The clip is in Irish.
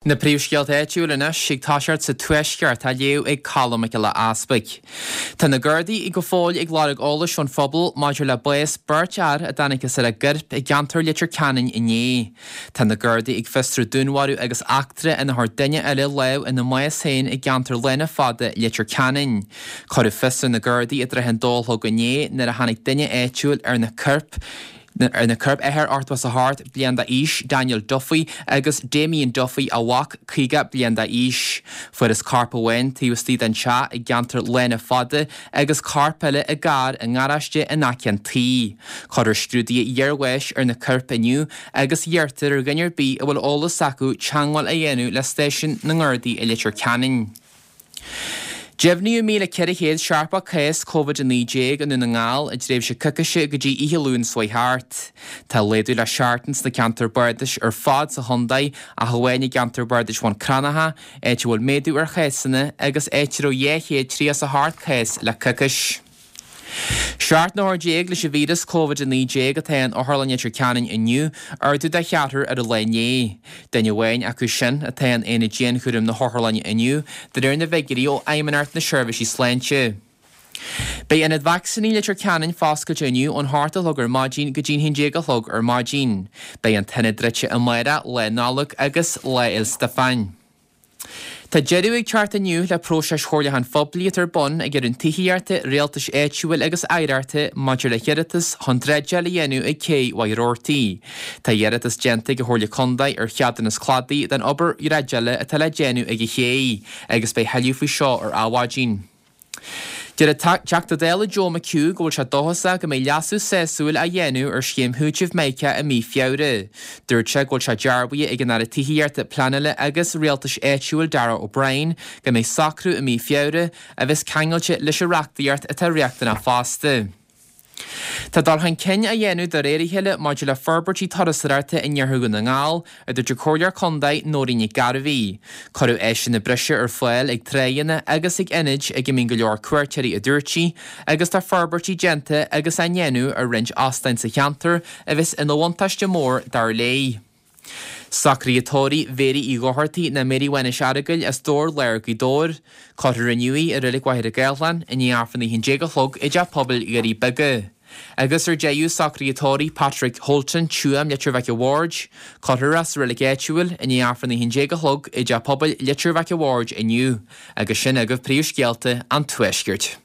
Na príomhscéalta áitiúil anois ag toiseacht sa Tuaisceart á léamh ag Colm Mac Giolla Easpaig. Tá na Gardaí go fóill ag lorg eolais ón phobal maidir le bás beirt fhear a dtángthas ar a gcoirp i gceantar Leitir Ceanainn inné. Tá na Gardaí ag fiosrú dúnmharú agus eachtra ina chuir duine eile lámh ina mbás féin i gceantar Lána Fada, Leitir Ceanainn. Cuireadh fios ar na Gardaí i dtrátha an dó a chlog inné nuair a tháinig duine áitiúil ar na coirp Ar na coirp, athair 88 bliain d'aois, Daniel Duffy, agus Damien Duffy, a mhac, 50 bliain d'aois. Fuarthas corp amháin taobh istigh den teach i gceantar Lána Fada agus corp eile i gcarr i ngaráiste in aice an tí. Cuirfear scrúduithe iarbháis ar na coirp inniu agus iarrtar ar dhuine ar bith a bhfuil eolas acu teagmháil a dhéanamh le stáisiún na nGardaí i Leitir Ceanainn. Deimhníodh 1,470 cás Covid-19 i nDún na nGall i dtréimhse coicíse go dtí oíche Luain seo chuaigh thart. Tá laghdú le seachtain sna ceantair bardais ar fad sa chontae ach amháin i gceantar bardais Bhun Cranncha, áit a bhfuil méadú ar chásanna agus áit a raibh 238 cás le coicís. 17 n-othar leis an víreas Covid-19 atá in Otharlann Leitir Ceanainn inniu, ardú de cheathrar ar an lá inné. Duine amháin acu sin atá in aonad dianchúraim na hotharlainne inniu, de réir na bhfigiúirí ó Fheidhmeannacht na Seirbhísí Sláinte. Beidh Ionad Vacsaíní Leitir Ceanainn foscailte inniu ón hocht a chlog ar maidin go dtí'n haon déag a chlog ar maidin. Beidh an t-ionad druidte amárach, Lá Nollag agus Lá Fhéil Stiofáin. Tá deireadh ag teacht inniu le próiseas chomhairliúcháin phoiblí atá ar bun ag an Roinn Tithíochta, Rialtais Áitiúil agus Oidhreachta maidir le hiarratas chun dreideáil a dhéanamh ag Cé Mhachaire Rabhartaigh. Tá iarratas déanta ag an Chomhairle Contae ar cheadúnas cladaigh don obair dhreideála atá le déanamh ag an ché agus beidh tuilleadh faoi seo ar Adhmhaidin. Deir an Teachta Dála Joe McHugh go bhfuil sé dóchasach go mbeidh leasú sásúil á dhéanamh ar scéim chúitimh Mica i mí Feabhra. Dúirt sé go bhfuil sé dearbhaithe ag an Aire Tithíochta, Pleanála agus Rialtais Áitiúil Darragh O'Brien go mbeidh socrú i mí Feabhra a bheas ceangailte leis an reachtaíocht atá riachtanach fosta. Tá dul chun cinn á dhéanamh de réir a chéile maidir le forbairtí turasóireachta in iarthar Dhún na nGall, a dúirt an Comhairleoir Contae Nóirín Nic Gairbhí. Cuireadh áiseanna breise ar fáil ag tráigheanna agus ag ionaid ag a mbíonn go leor cuairteoirí a dúirt sí, agus tá forbairtí déanta agus á ndéanamh ar roinnt óstáin sa cheantar a bheas ina bhuntáiste mór dar léi. Socruithe tórraimh Mhéirí Uí Dhochartaigh nó Mary Mhánais Earagail as Dobhar Láir Gaoth Dobhair. Cuirfear inniu í i Reilig Mhachaire Gathlán i ndiaidh Aifreann 11 a chlog i dTeach Pobail Dhoirí Beaga. Agus ar deireadh socruithe tórraimh Patrick Holton, Tuaim, Leitir Mhic a' Bhaird. Cuirfear é sa reilig áitiúil i ndiaidh Aifreann 11 a chlog i dTeach Pobail Leitir Mhic a' Bhaird inniu. Agus sin agaibh príomhscéalta an Tuaiscirt.